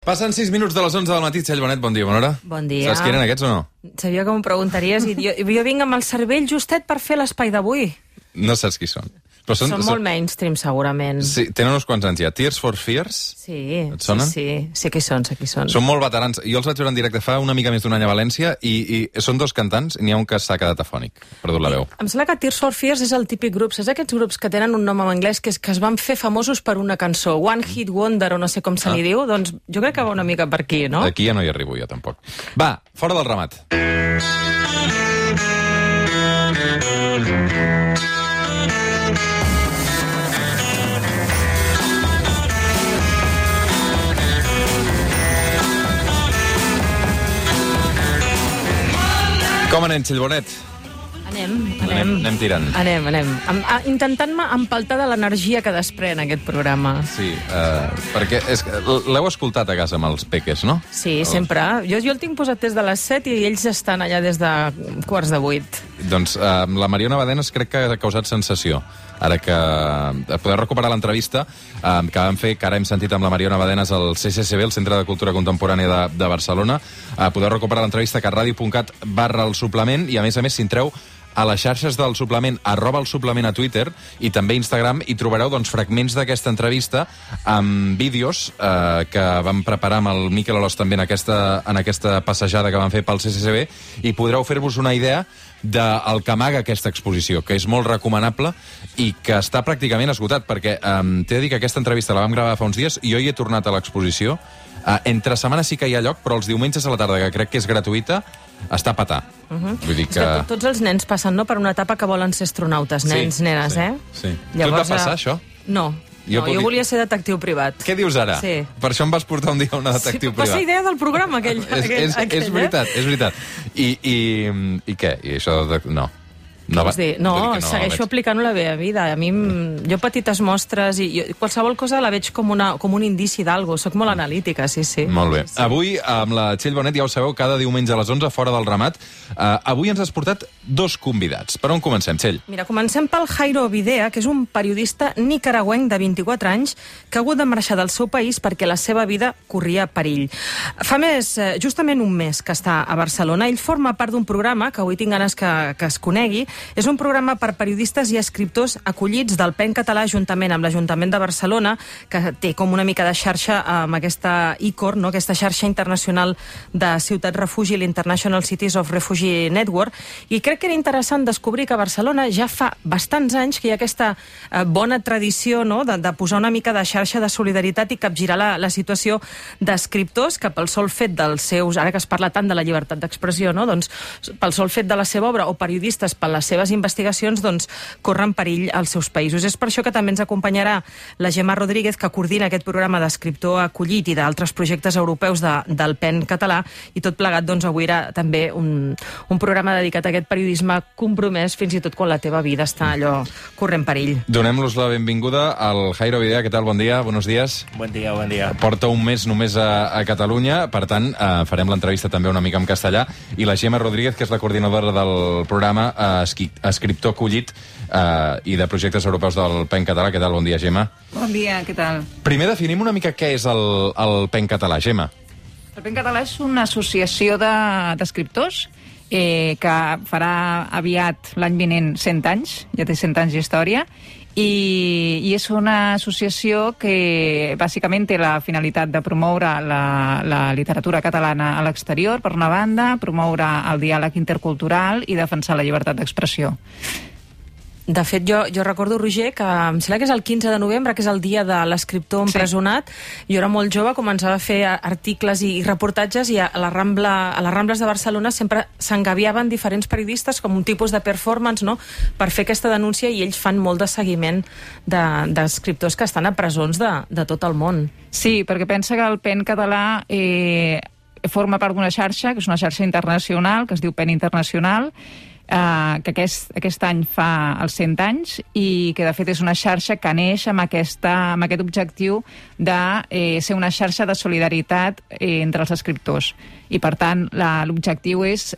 Passen 6 minuts de les 11 del matí. Txell Bonet, bon dia, bona hora. Bon dia. Saps qui eren aquests o no? Sabia que m'ho preguntaries i jo vinc amb el cervell justet per fer l'espai d'avui. No saps qui són. Però són molt mainstream, segurament. Sí, tenen uns quants anys ja. Tears for Fears? Sí. Et sonen? Sí, sé qui són, sé qui són. Són molt veterans. Jo els vaig veure en directe fa una mica més d'un any a València i són dos cantants i n'hi ha un que s'ha quedat afònic. Perdut la veu. Em sembla que Tears for Fears és el típic grup. Saps aquests grups que tenen un nom en anglès que es van fer famosos per una cançó? One Hit Wonder o no sé com se li diu? Doncs jo crec que va una mica per aquí, no? Aquí ja no hi arribo jo, tampoc. Va, fora del ramat. Com anem, Txell Bonet? Anem tirant. Anem. Intentant-me empaltar de l'energia que desprèn aquest programa. Sí, perquè l'heu escoltat a casa amb els peques, no? Sí, sempre. Jo el tinc posat des de les 7 i ells estan allà des de 7:15. Doncs la Mariona Badenes crec que ha causat sensació. Ara que podeu recuperar l'entrevista que vam fer, que ara hem sentit amb la Mariona Badenes al CCCB, el Centre de Cultura Contemporània de Barcelona. Podeu recuperar l'entrevista que a radio.cat/el suplement i a més si entreu a les xarxes del suplement, @el suplement a Twitter i també a Instagram, i trobareu fragments d'aquesta entrevista amb vídeos que vam preparar amb el Miquel Alòs també en aquesta passejada que vam fer pel CCCB, i podreu fer-vos una idea del que amaga aquesta exposició, que és molt recomanable i que està pràcticament esgotat, perquè t'he de dir que aquesta entrevista la vam gravar fa uns dies i jo hi he tornat a l'exposició. Entre setmanes sí que hi ha lloc, però els diumenges a la tarda, que crec que és gratuïta, està a petar. Vull dir que... Tots els nens passen per una etapa que volen ser astronautes, nens, nenes, eh? Sí. Tu et va passar, això? No. Jo volia ser detectiu privat. Què dius ara? Sí. Per això em vas portar un dia a una detectiu privat. Va ser idea del programa, aquell. És veritat. I què? I això... No. Segueixo aplicant la meva vida. A mi, jo petites mostres i qualsevol cosa la veig com un indici d'algo. Soc molt analítica, sí. Molt bé. Avui, amb la Txell Bonet, ja ho sabeu, cada diumenge a les 11, fora del ramat. Avui ens has portat dos convidats. Per on comencem, Txell? Mira, comencem pel Jairo Videa, que és un periodista nicaragüenc de 24 anys que ha hagut de marxar del seu país perquè la seva vida corria perill. Fa justament un mes que està a Barcelona. Ell forma part d'un programa que avui tinc ganes que es conegui. És un programa per periodistes i escriptors acollits del PEN català juntament amb l'Ajuntament de Barcelona, que té com una mica de xarxa amb aquesta ICOR, no? Aquesta xarxa internacional de ciutats refugi, l'International Cities of Refugee Network, i crec que era interessant descobrir que a Barcelona ja fa bastants anys que hi ha aquesta bona tradició, no? de posar una mica de xarxa de solidaritat i capgirar la situació d'escriptors que pel sol fet dels seus, ara que es parla tant de la llibertat d'expressió, no? Doncs pel sol fet de la seva obra, o periodistes per les seves investigacions, doncs corren perill als seus països. És per això que també ens acompanyarà la Gemma Rodríguez, que coordina aquest programa d'escriptor acollit i d'altres projectes europeus del PEN català, i tot plegat, doncs avui era també un programa dedicat a aquest periodisme compromès fins i tot quan la teva vida està allò corrent perill. Donem-los la benvinguda al Jairo Videa. Què tal? Bon dia, buenos días. Bon dia. Porta un mes només a Catalunya, per tant, farem l'entrevista també una mica en castellà, i la Gemma Rodríguez, que és la coordinadora del programa escriptor acollit i de projectes europeus del PEN català. Què tal? Bon dia, Gemma. Bon dia, què tal? Primer definim una mica què és el PEN català, Gemma. El PEN català és una associació d'escriptors que farà aviat l'any vinent 100 anys, ja té 100 anys d'història, i és una associació que bàsicament té la finalitat de promoure la literatura catalana a l'exterior, per una banda, promoure el diàleg intercultural i defensar la llibertat d'expressió. De fet, jo recordo, Roger, que em sembla que és el 15 de novembre, que és el dia de l'escriptor empresonat. Jo era molt jove, començava a fer articles i reportatges, i a les Rambles de Barcelona sempre s'engaviaven diferents periodistes com un tipus de performance, no?, per fer aquesta denúncia, i ells fan molt de seguiment d'escriptors que estan a presons de tot el món. Sí, perquè pensa que el PEN català forma part d'una xarxa, que és una xarxa internacional, que es diu PEN Internacional, que aquest any fa els 100 anys, i que de fet és una xarxa que neix amb aquest objectiu de ser una xarxa de solidaritat entre els escriptors. I per tant l'objectiu és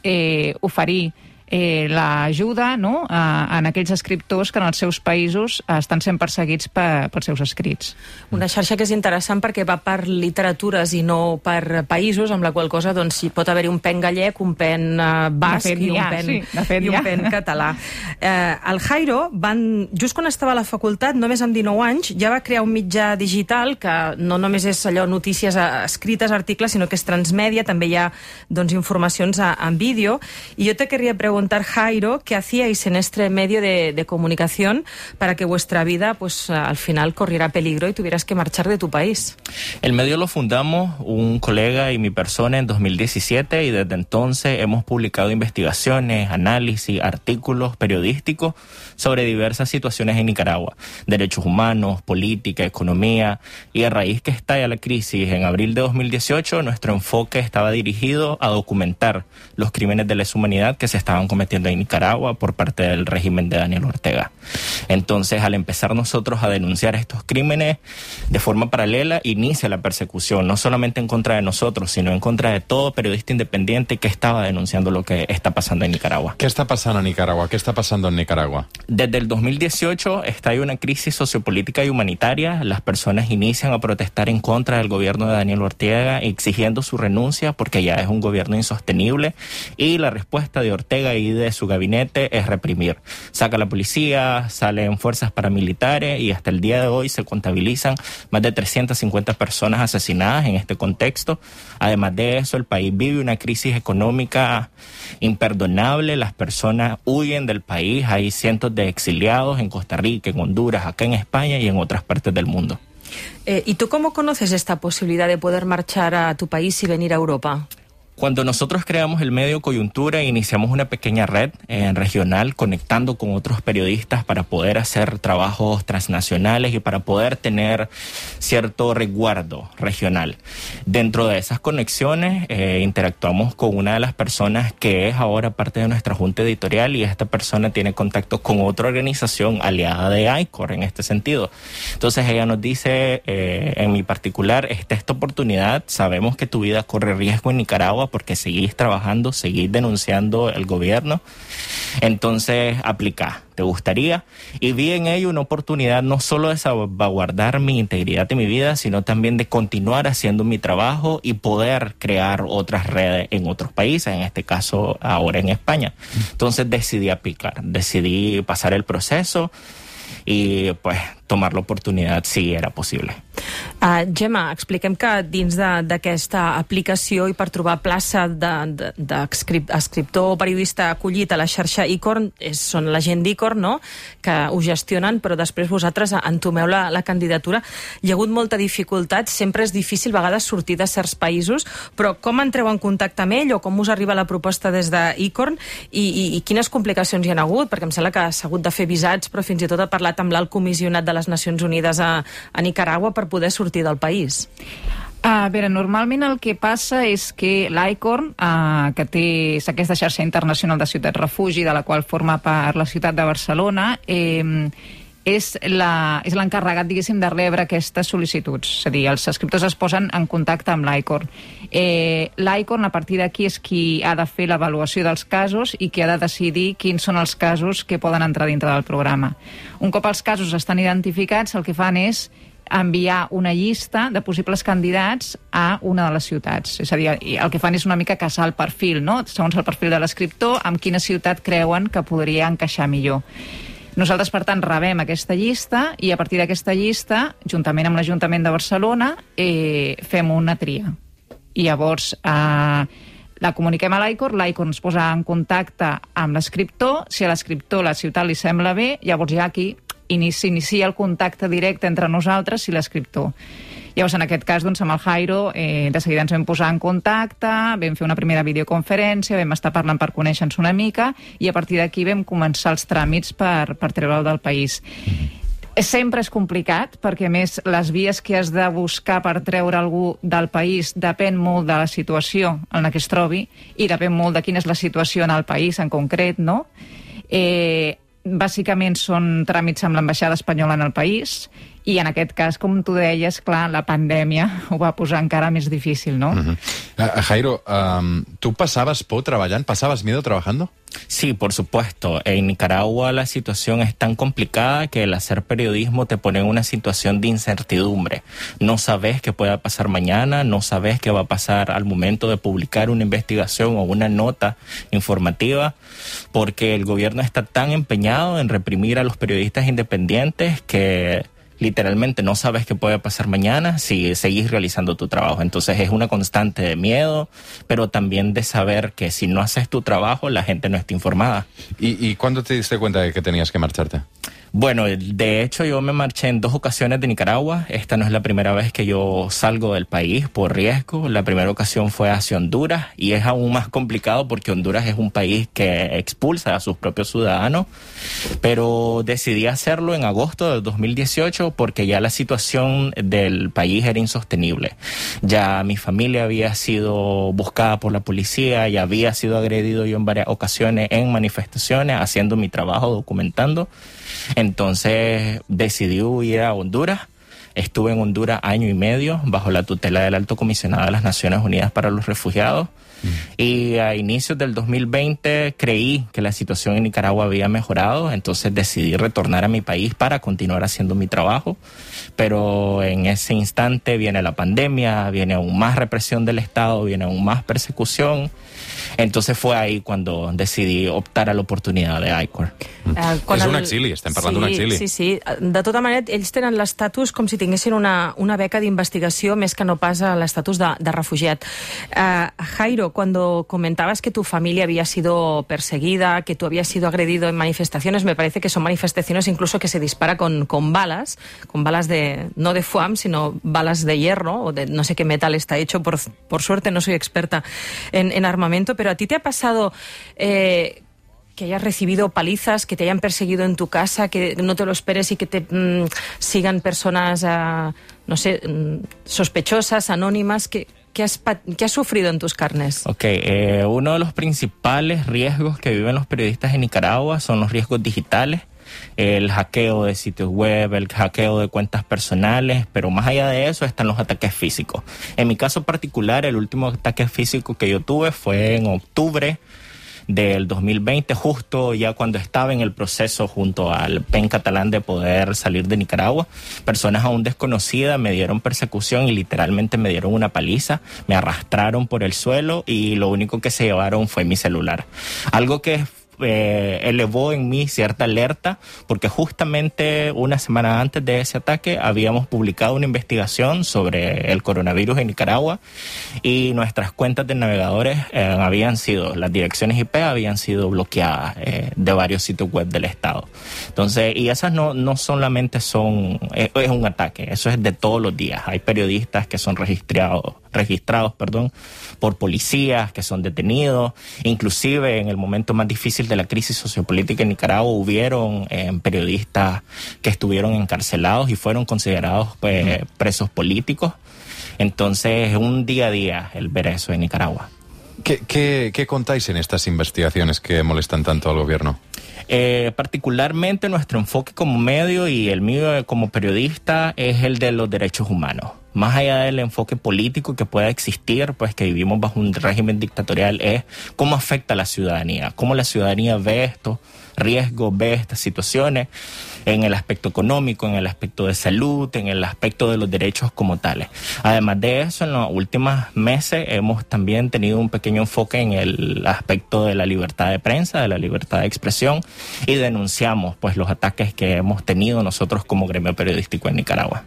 oferir l'ajuda, no?, en aquells escriptors que en els seus països estan sent perseguits pels seus escrits. Una xarxa que és interessant perquè va per literatures i no per països, amb la qual cosa doncs, hi pot haver un pen gallec, un pen basc i un pen català. El Jairo, just quan estava a la facultat, només amb 19 anys, ja va crear un mitjà digital que no només és allò notícies escrites, articles, sinó que és transmèdia, també hi ha doncs, informacions en vídeo. I jo te quería preguntar, Jairo, ¿qué hacíais en este medio de comunicación para que vuestra vida, pues, al final corriera peligro y tuvieras que marchar de tu país? El medio lo fundamos un colega y mi persona en 2017 y desde entonces hemos publicado investigaciones, análisis, artículos periodísticos sobre diversas situaciones en Nicaragua, derechos humanos, política, economía, y a raíz que estalla la crisis en abril de 2018, nuestro enfoque estaba dirigido a documentar los crímenes de lesa humanidad que se estaban cometiendo en Nicaragua por parte del régimen de Daniel Ortega. Entonces, al empezar nosotros a denunciar estos crímenes, de forma paralela inicia la persecución, no solamente en contra de nosotros, sino en contra de todo periodista independiente que estaba denunciando lo que está pasando en Nicaragua. ¿Qué está pasando en Nicaragua? ¿Qué está pasando en Nicaragua? Desde el 2018 estalla una crisis sociopolítica y humanitaria. Las personas inician a protestar en contra del gobierno de Daniel Ortega, exigiendo su renuncia porque ya es un gobierno insostenible, y la respuesta de Ortega y de su gabinete es reprimir. Saca la policía, salen fuerzas paramilitares y hasta el día de hoy se contabilizan más de 350 personas asesinadas en este contexto. Además de eso, el país vive una crisis económica imperdonable. Las personas huyen del país. Hay cientos de exiliados en Costa Rica, en Honduras, acá en España y en otras partes del mundo. ¿Y tú cómo conoces esta posibilidad de poder marchar a tu país y venir a Europa? Cuando nosotros creamos el medio Coyuntura, iniciamos una pequeña red regional conectando con otros periodistas para poder hacer trabajos transnacionales y para poder tener cierto resguardo regional. Dentro de esas conexiones interactuamos con una de las personas que es ahora parte de nuestra junta editorial, y esta persona tiene contacto con otra organización aliada de ICOR en este sentido. Entonces ella nos dice, en mi particular, esta oportunidad, sabemos que tu vida corre riesgo en Nicaragua porque seguís trabajando, seguís denunciando el gobierno, entonces aplica, ¿te gustaría? Y vi en ello una oportunidad no solo de salvaguardar mi integridad de mi vida, sino también de continuar haciendo mi trabajo y poder crear otras redes en otros países, en este caso ahora en España. Entonces decidí aplicar, decidí pasar el proceso i pues, tomar l'oportunitat si era possible. Gemma, expliquem que dins d'aquesta aplicació i per trobar plaça d'escriptor o periodista acollit a la xarxa ICOR són la gent d'ICOR, no?, que ho gestionen, però després vosaltres entomeu la candidatura. Hi ha hagut molta dificultat, sempre és difícil a vegades sortir de certs països, però com entreu en contacte amb ell o com us arriba la proposta des d'ICOR i quines complicacions hi ha hagut? Perquè em sembla que s'ha hagut de fer visats, però fins i tot ha parlat amb l'alt comissionat de les Nacions Unides a Nicaragua per poder sortir del país. A veure, normalment el que passa és que l'ICOR, que té aquesta xarxa internacional de ciutats refugi, de la qual forma part la ciutat de Barcelona, és l'encarregat, diguéssim, de rebre aquestes sol·licituds. És a dir, els escriptors es posen en contacte amb l'ICOR. L'ICOR, a partir d'aquí, és qui ha de fer l'avaluació dels casos i qui ha de decidir quins són els casos que poden entrar dintre del programa. Un cop els casos estan identificats, el que fan és enviar una llista de possibles candidats a una de les ciutats. És a dir, el que fan és una mica caçar el perfil, no? Segons el perfil de l'escriptor, amb quina ciutat creuen que podria encaixar millor. Nosaltres, per tant, rebem aquesta llista i a partir d'aquesta llista, juntament amb l'Ajuntament de Barcelona, fem una tria. I llavors la comuniquem a l'ICOR, l'ICOR ens posa en contacte amb l'escriptor, si a l'escriptor la ciutat li sembla bé, llavors ja aquí s'inicia el contacte directe entre nosaltres i l'escriptor. Llavors, en aquest cas, doncs, amb el Jairo, de seguida ens vam posar en contacte, vam fer una primera videoconferència, vam estar parlant per conèixer-nos una mica i a partir d'aquí vam començar els tràmits per treure'l del país. Sempre és complicat, perquè a més les vies que has de buscar per treure algú del país depèn molt de la situació en la que es trobi i depèn molt de quina és la situació en el país en concret, no? Bàsicament són tràmits amb l'ambaixada espanyola en el país I en aquest cas, com tu deies, clar, la pandèmia ho va posar encara més difícil, ¿no? Jairo, ¿tú pasabas por trabajando? ¿Pasabas miedo trabajando? Sí, por supuesto. En Nicaragua la situación es tan complicada que el hacer periodismo te pone en una situación de incertidumbre. No sabes qué pueda pasar mañana, no sabes qué va a pasar al momento de publicar una investigación o una nota informativa, porque el gobierno está tan empeñado en reprimir a los periodistas independientes que literalmente no sabes qué puede pasar mañana si seguís realizando tu trabajo. Entonces es una constante de miedo, pero también de saber que si no haces tu trabajo, la gente no está informada. ¿Y cuándo te diste cuenta de que tenías que marcharte? Bueno, de hecho yo me marché en 2 ocasiones de Nicaragua. Esta no es la primera vez que yo salgo del país por riesgo. La primera ocasión fue hacia Honduras y es aún más complicado porque Honduras es un país que expulsa a sus propios ciudadanos. Pero decidí hacerlo en agosto del 2018 porque ya la situación del país era insostenible. Ya mi familia había sido buscada por la policía y había sido agredido yo en varias ocasiones en manifestaciones, haciendo mi trabajo, documentando. Entonces decidí huir a Honduras. Estuve en Honduras 1 año y medio bajo la tutela del Alto Comisionado de las Naciones Unidas para los Refugiados. Y a inicios del 2020 creí que la situación en Nicaragua había mejorado, entonces decidí retornar a mi país para continuar haciendo mi trabajo. Pero en ese instante viene la pandemia, viene aún más represión del Estado, viene aún más persecución. Entonces fue ahí cuando decidí optar a l'oportunitat d'ICOR. És un exili, estem parlant d'un exili. Sí. De tota manera, ells tenen l'estatus com si tinguessin una beca d'investigació més que no pas l'estatus de refugiat. Jairo, cuando comentabas que tu familia había sido perseguida, que tú habías sido agredido en manifestaciones, me parece que son manifestaciones incluso que se dispara con balas no de FUAM, sino balas de hierro, o de no sé qué metal está hecho, por suerte no soy experta en armamento, pero ¿a ti te ha pasado que hayas recibido palizas, que te hayan perseguido en tu casa, que no te lo esperes y que te sigan personas, no sé, sospechosas, anónimas? ¿Qué has sufrido en tus carnes? Uno de los principales riesgos que viven los periodistas en Nicaragua son los riesgos digitales. El hackeo de sitios web, el hackeo de cuentas personales, pero más allá de eso están los ataques físicos. En mi caso particular, el último ataque físico que yo tuve fue en octubre del 2020, justo ya cuando estaba en el proceso junto al PEN catalán de poder salir de Nicaragua. Personas aún desconocidas me dieron persecución y literalmente me dieron una paliza, me arrastraron por el suelo y lo único que se llevaron fue mi celular. Algo que elevó en mí cierta alerta, porque justamente una semana antes de ese ataque habíamos publicado una investigación sobre el coronavirus en Nicaragua y nuestras cuentas de navegadores las direcciones IP habían sido bloqueadas de varios sitios web del Estado. Entonces, y esas no solamente es un ataque, eso es de todos los días. Hay periodistas que son registrados por policías, que son detenidos. Inclusive en el momento más difícil de la crisis sociopolítica en Nicaragua hubieron periodistas que estuvieron encarcelados y fueron considerados presos políticos. Entonces es un día a día el ver eso en Nicaragua. ¿Qué contáis en estas investigaciones que molestan tanto al gobierno? Particularmente nuestro enfoque como medio y el mío como periodista es el de los derechos humanos. Más allá del enfoque político que pueda existir, pues que vivimos bajo un régimen dictatorial, es cómo afecta a la ciudadanía, cómo la ciudadanía ve estos riesgos, ve estas situaciones en el aspecto económico, en el aspecto de salud, en el aspecto de los derechos como tales. Además de eso, en los últimos meses hemos también tenido un pequeño enfoque en el aspecto de la libertad de prensa, de la libertad de expresión, y denunciamos pues los ataques que hemos tenido nosotros como gremio periodístico en Nicaragua.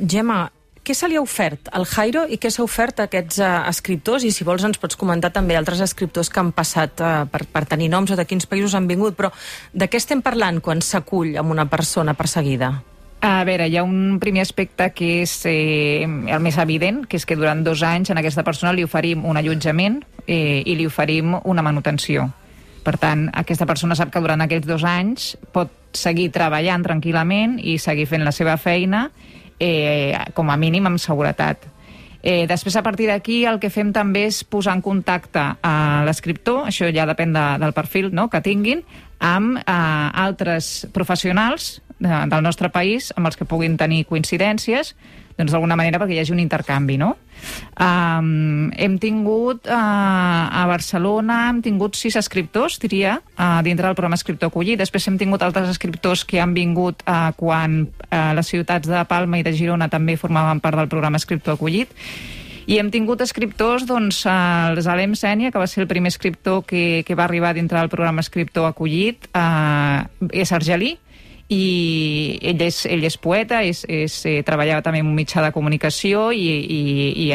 Gemma, què se li ha ofert al Jairo i què s'ha ofert a aquests escriptors? I si vols ens pots comentar també altres escriptors que han passat per tenir noms o de quins països han vingut, però de què estem parlant quan s'acull amb una persona perseguida? A veure, hi ha un primer aspecte que és el més evident, que és que durant 2 anys a aquesta persona li oferim un allotjament i li oferim una manutenció. Per tant, aquesta persona sap que durant aquests 2 anys pot seguir treballant tranquil·lament i seguir fent la seva feina com a mínim amb seguretat. Després, a partir d'aquí, el que fem també és posar en contacte a l'escriptor, això ja depèn del perfil que tinguin, amb altres professionals del nostre país amb els que puguin tenir coincidències, doncs d'alguna manera perquè hi hagi un intercanvi, no? Hem tingut a Barcelona, hem tingut 6 escriptors, diria, dintre del programa Escriptor Acollit. Després hem tingut altres escriptors que han vingut quan les ciutats de Palma i de Girona també formaven part del programa Escriptor Acollit. I hem tingut escriptors, doncs, el Zalem Sènia, que va ser el primer escriptor que va arribar dintre del programa Escriptor Acollit, és argelí, i ell és poeta, treballava també en un mitjà de comunicació i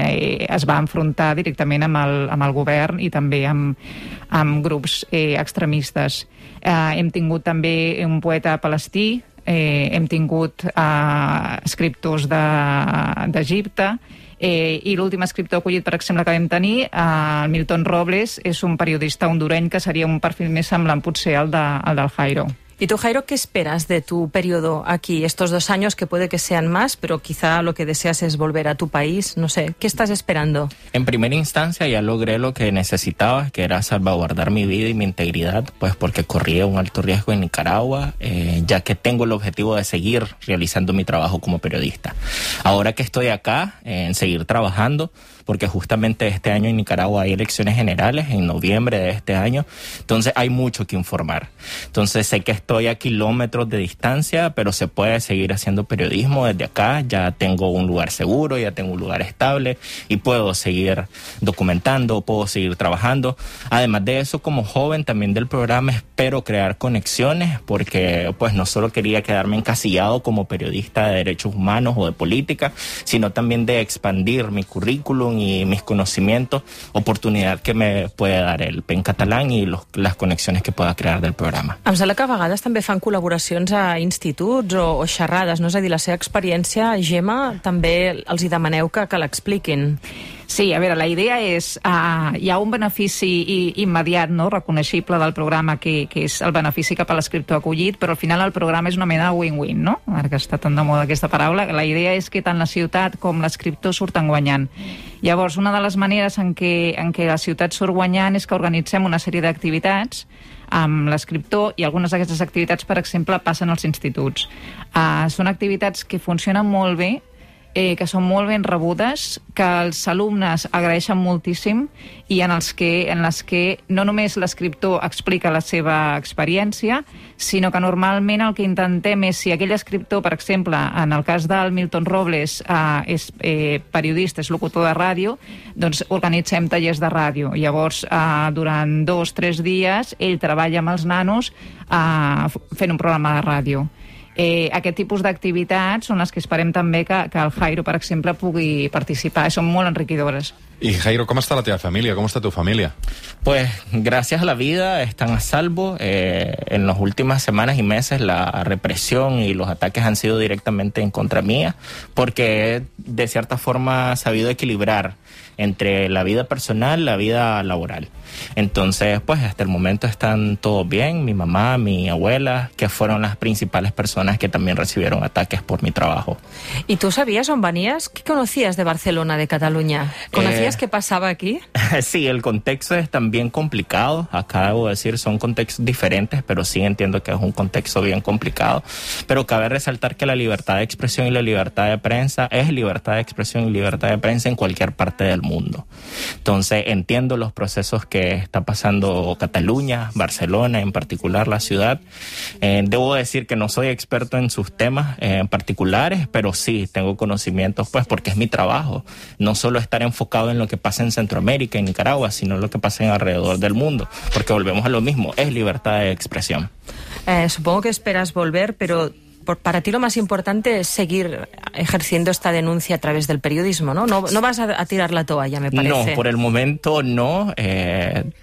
es va enfrontar directament amb el govern i també amb grups extremistes. Hem tingut també un poeta palestí, hem tingut escriptors d'Egipte, i l'últim escriptor acollit, per exemple, que vam tenir, el Milton Robles, és un periodista hondureny que seria un perfil més semblant potser al del Jairo. ¿Y tú, Jairo, qué esperas de tu periodo aquí? Estos 2 años que puede que sean más, pero quizá lo que deseas es volver a tu país. No sé, ¿qué estás esperando? En primera instancia ya logré lo que necesitaba, que era salvaguardar mi vida y mi integridad, pues porque corría un alto riesgo en Nicaragua, ya que tengo el objetivo de seguir realizando mi trabajo como periodista. Ahora que estoy acá, en seguir trabajando, porque justamente este año en Nicaragua hay elecciones generales, en noviembre de este año, entonces hay mucho que informar. Entonces sé que estoy a kilómetros de distancia, pero se puede seguir haciendo periodismo desde acá. Ya tengo un lugar seguro, ya tengo un lugar estable y puedo seguir documentando, puedo seguir trabajando. Además de eso, como joven también del programa, espero crear conexiones, porque pues no solo quería quedarme encasillado como periodista de derechos humanos o de política, sino también de expandir mi currículum y mis conocimientos, oportunidad que me puede dar el PEN catalán y las conexiones que pueda crear del programa. Em sembla que a vegades també fan col·laboracions a instituts o xerrades, no? És a dir, la seva experiència, Gemma, també els hi demaneu que l'expliquin. Sí, a veure, la idea és... hi ha un benefici immediat, no?, reconeixible del programa, que és el benefici cap a l'escriptor acollit, però al final el programa és una mena de win-win, no? Ara que està tan de moda aquesta paraula. La idea és que tant la ciutat com l'escriptor surten guanyant. Llavors, una de les maneres en què la ciutat surt guanyant és que organitzem una sèrie d'activitats amb l'escriptor, i algunes d'aquestes activitats, per exemple, passen als instituts. Són activitats que funcionen molt bé, que són molt ben rebudes, que els alumnes agraeixen moltíssim i en les que no només l'escriptor explica la seva experiència, sinó que normalment el que intentem és, si aquell escriptor, per exemple, en el cas del Milton Robles, és periodista, és locutor de ràdio, doncs organitzem tallers de ràdio. Llavors, durant 2-3 dies, ell treballa amb els nanos fent un programa de ràdio. Aquest tipus d'activitats són les que esperem també que el Jairo, per exemple, pugui participar. Són molt enriquidores. Y Jairo, ¿cómo está la teva familia? ¿Cómo está tu familia? Pues gracias a la vida están a salvo. En las últimas semanas y meses la represión y los ataques han sido directamente en contra mía, porque he de cierta forma sabido equilibrar entre la vida personal y la vida laboral. Entonces, pues hasta el momento están todos bien, mi mamá, mi abuela, que fueron las principales personas que también recibieron ataques por mi trabajo. ¿Y tú sabías dónde venías? ¿Qué conocías de Barcelona, de Cataluña? ¿Conocías qué pasaba aquí? Sí, el contexto es también complicado. Acá debo decir, son contextos diferentes, pero sí entiendo que es un contexto bien complicado. Pero cabe resaltar que la libertad de expresión y la libertad de prensa es libertad de expresión y libertad de prensa en cualquier parte del mundo. Entonces entiendo los procesos que está pasando Cataluña, Barcelona, en particular la ciudad. Debo decir que no soy experto en sus temas particulares, pero sí tengo conocimientos, pues porque es mi trabajo. No solo estar enfocado en lo que pasa en Centroamérica y Nicaragua, sino lo que pasa en alrededor del mundo, porque volvemos a lo mismo, es libertad de expresión. Supongo que esperas volver, pero para ti lo más importante es seguir ejerciendo esta denuncia a través del periodismo, ¿no? No vas a tirar la toalla, me parece. No, por el momento no.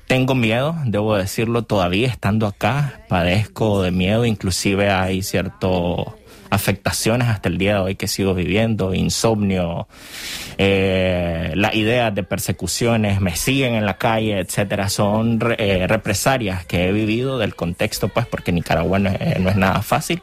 Tengo miedo, debo decirlo, todavía estando acá, padezco de miedo, inclusive hay cierto afectaciones hasta el día de hoy que sigo viviendo, insomnio, las ideas de persecuciones me siguen en la calle, etcétera. Son represalias que he vivido del contexto, pues porque Nicaragua no es nada fácil,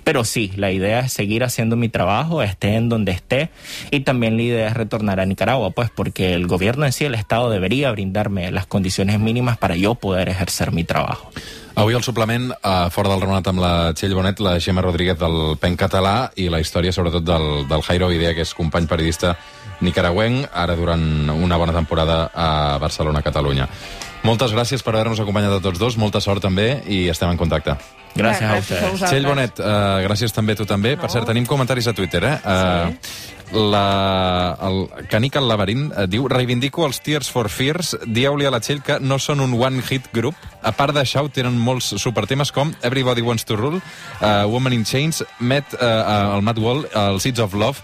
pero sí, la idea es seguir haciendo mi trabajo, esté en donde esté, y también la idea es retornar a Nicaragua, pues porque el gobierno en sí, el Estado, debería brindarme las condiciones mínimas para yo poder ejercer mi trabajo. Avui al suplement, fora del remenat amb la Txell Bonet, la Gemma Rodríguez del PEN català i la història sobretot del Jairo Videa, que és company periodista nicaragüenc, ara durant una bona temporada a Barcelona, Catalunya. Moltes gràcies per haver-nos acompanyat a tots dos, molta sort també i estem en contacte. Gràcies a ustedes. Txell Bonet, gràcies també a tu també. Per cert, tenim comentaris a Twitter, el Canic al Laberint diu: reivindico els Tears for Fears, dieu-li a la Txell que no són un one-hit group. A part d'això, tenen molts supertemes com Everybody Wants to Rule, Woman in Chains, el Mad Wall, el Seeds of Love,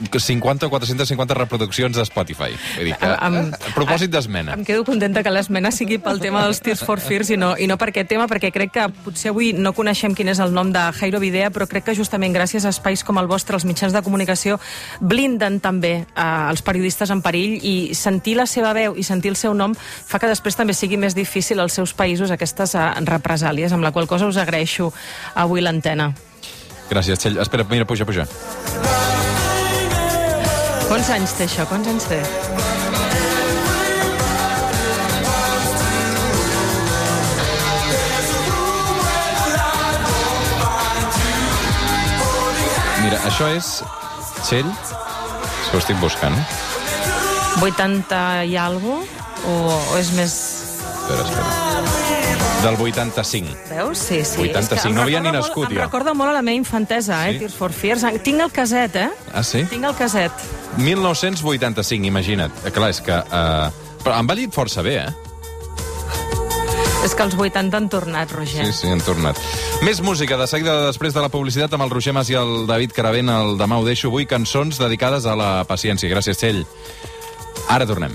50 o 450 reproduccions a Spotify. Vull dir que, a propòsit d'esmena. Em quedo contenta que l'esmena sigui pel tema dels Tears for Fears i no per aquest tema, perquè crec que potser avui no coneixem quin és el nom de Jairo Videa, però crec que justament gràcies a espais com el vostre, els mitjans de comunicació, blinden també els periodistes en perill, i sentir la seva veu i sentir el seu nom fa que després també sigui més difícil als seus països aquestes represàlies, amb la qual cosa us agraeixo avui l'antena. Gràcies, Txell. Espera, mira, puja. Quants anys té això? Quants anys té? Mira, això és Txell, que ho estic buscant. 80 i alguna cosa? O és més... Espera. Del 85. Veus? Sí. 85, no havia ni nascut, jo. Em recorda molt a la meva infantesa, Sí? Tears for Fears. Tinc el caset, Ah, sí? Tinc el caset. 1985, imagina't. Clar, és que... Però han vallit força bé, És que els 80 han tornat, Roger. Sí, han tornat. Més música, de seguida després de la publicitat, amb el Roger Mas i el David Caravent. El Demà ho deixo avui, cançons dedicades a la paciència. Gràcies, Txell. Ara tornem.